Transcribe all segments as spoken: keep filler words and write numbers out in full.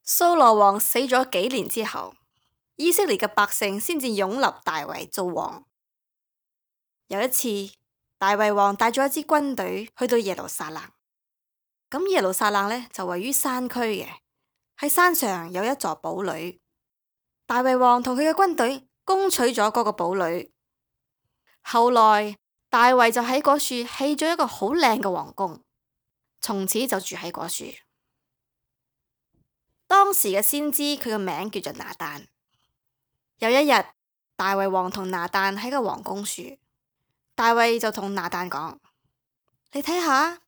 掃羅王死咗幾年之後，以色列嘅百姓先至擁立大衛做王。有一次，大衛王帶咗一支軍隊去到耶路撒冷。咁耶路撒冷呢，就位於山區嘅，喺山上有一座堡壘。大衛王同佢嘅軍隊攻取咗嗰個堡壘。後來大衛就喺嗰處起咗一個好靚嘅皇宮，從此就住喺嗰處。當時嘅先知佢個名叫做拿單。有一日，大衛王同拿單喺個皇宮處，大衛就同拿單講：你睇下，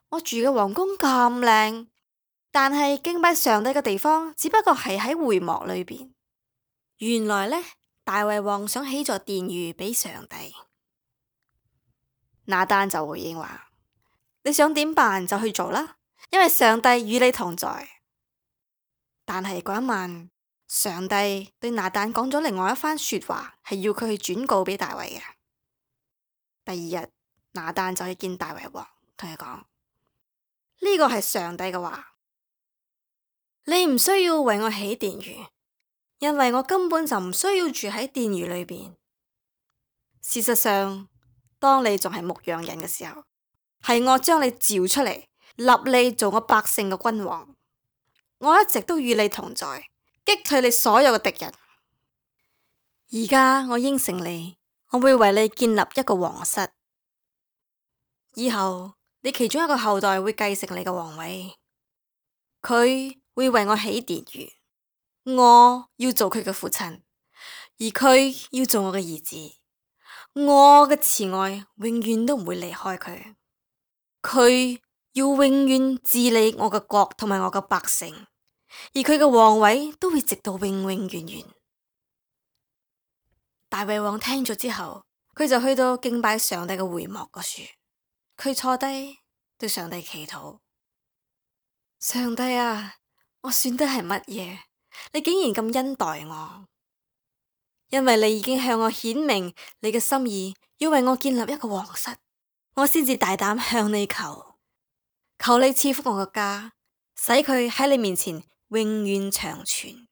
我住嘅皇宮咁靚，但係敬拜上帝嘅地方只不過係喺會幕裏邊。原來呢，大衛王想起座殿宇俾上帝。拿單就回應話：你想點辦就去做啦，因為上帝與你同在。但係嗰一晚，上帝對拿單講咗另外一番說話，係要佢去轉告俾大衛嘅。第二日，拿單就去見大衛王，同佢講：呢個係上帝嘅話，你唔需要為我起殿宇，因為我根本就唔需要住喺殿宇裏邊。事實上，當你仲係牧羊人嘅時候，係我將你召出嚟，立你做我百姓嘅君王。我一直都與你同在，擊退你所有嘅敵人。而家我應承你，我會為你建立一個皇室，以後你其中一個後代會繼承你嘅皇位，佢會為我起殿宇，我要做佢嘅父親，而佢要做我嘅兒子。我嘅慈愛永遠都唔會離開佢，佢要永遠治理我嘅國同埋我嘅百姓。而佢嘅皇位都會直到永永遠遠。大衛王聽咗之後，佢就去到敬拜上帝嘅會幕嗰處，佢坐低對上帝祈禱：上帝啊，我算得係乜嘢？你竟然咁恩待我，因為你已經向我顯明你嘅心意，要為我建立一個皇室，我先至大膽向你求，求你賜福我嘅家，使佢喺你面前永遠長存。